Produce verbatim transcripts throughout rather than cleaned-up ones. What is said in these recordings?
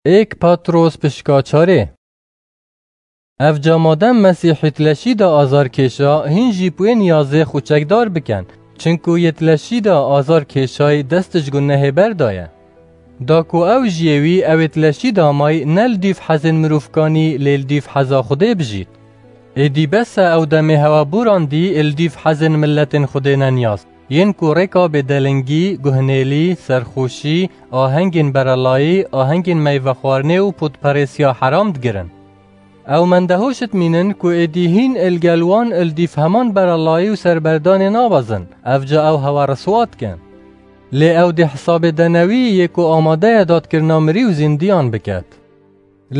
Êk Patros pişka çarê. Evca madem Mesîhî tileşî de azar kêşa, hîn jî pwê niyazê xwe çekdar biken, çinku yê tileşî de azar kêşayî dest ji gunehê berdaye. Da ku ew jiyê wî ew ê tileşî de may ne li dîv hezên mirovkanî lê li dîv heza Xwedê bijît. Êdî bes e ew demê hewa borandî li dîv hezên miletên Xwedê neniyaz, yên ku rêka bêdelingî, guhnêlî, serxweşî, ahengên berelayî, ahengên meyvexwarinê û pûtperêsiya heram digirin. Ew mendehoş dimînin ku êdî hîn li gel wan li dîv heman berelayî û serberdanê nabezin, evca ew hewa riswa dikin. Lê ew dê hesabê denewî yê ku amade ye dadkirina mirî û zîndiyan biket.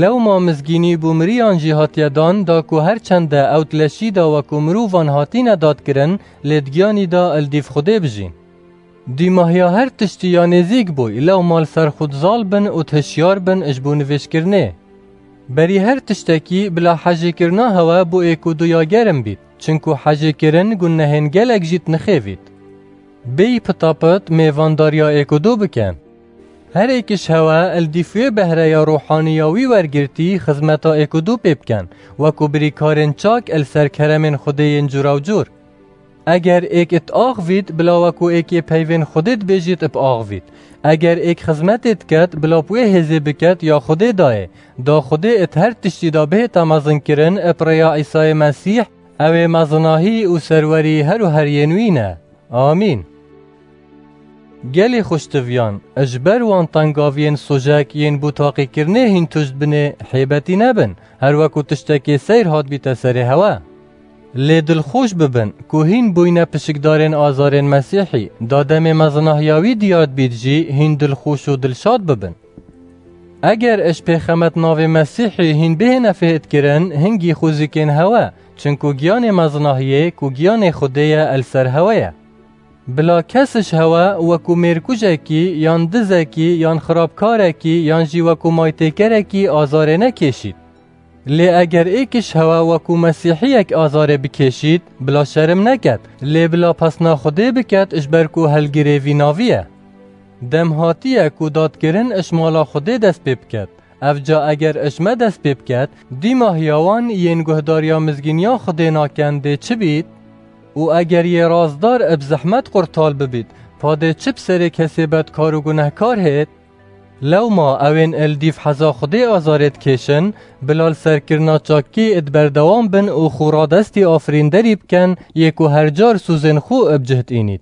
Lewma mizgînî bo miriyan jî hatiye dan, da ku her çende ew tileşî de wekû mirovan hatîne dadkirin, lê di giyanî de li dîv Xwedê bijîn. Dîmahiya her tiştî ya nêzîk bûy, lewma li ser xwe dizal bin û dihişyar bin ji bo nivêjkirinê. Berî her tiştekî bila hejêkirina hewe bo êk û du ya germ bît, çinku hejêkirin gunehên gelek jî dinixêvît. Bêyî pitapit mêvandariya êk û du bikin. Her êk ji hewe li dîv wê behreya ruhanî ya wî wergirtî xizmeta êk û du pê bikin, wekû birîkarên çak li ser keremên Xwedê yên cûrawcûr. Eger êk diaxivît, bila wekû êkê peyvên Xwedê dibêjît biaxivît. Eger êk xizmetê diket, bila bi wê hêzê biket ya Xwedê dayê, da Xwedê di her tiştî de bihête mezinkirin bi rêya Îsayê Mesîh, ew ê mezinahî û serwerî her û her yên wî ne. Amîn. Gelî xweştiviyan, ji ber wan tengaviyên sojek yên bo taqîkirinê hîn tuşt binê, hêbetî nebin, her wekû tiştekê seyr hatbîte serê hewe. Lê dilxweş bibin ku hîn bûyne pişikdarên azarên Mesîhî, da demê mezinahiya wî diyar dibît jî hîn dilxweş û dilşad bibin. Eger ji pêxemet navê Mesîhî hîn bihêne fêhkirin, hingî xwezikên hewe, çinku giyanê mezinahiyê ku giyanê Xwedê ye, li ser hewe ye. Bila kes ji hewe wekû mêrkujekî, yan dizekî, yan xirabkarekî, yan jî wekû maytêkerekî azarê nekêşît. Lê eger êk ji hewe wekû Mesîhiyek azarê bikêşît, bila şerm neket, lê bila pesna Xwedê biket, ji ber ku helgirê vî navî ye. Dem hatiye ku dadkirin ji mala Xwedê dest pê biket. Evca eger ji me dest pê biket, dîmahiya wan yên guhdariya mizgîniya Xwedê nakin dê çi bît? Û eger yê rastdar bi zehmet qurtal bibît, padê çi bi serê kesê bedkar û gunehkar hêt? Lewma ewên li dîv heza Xwedê azarê dikêşin, bila li serkirina çakî di berdewam bin û xwe radestî afirînderî bikin, yê ku her car sozên xwe bi cih diînît.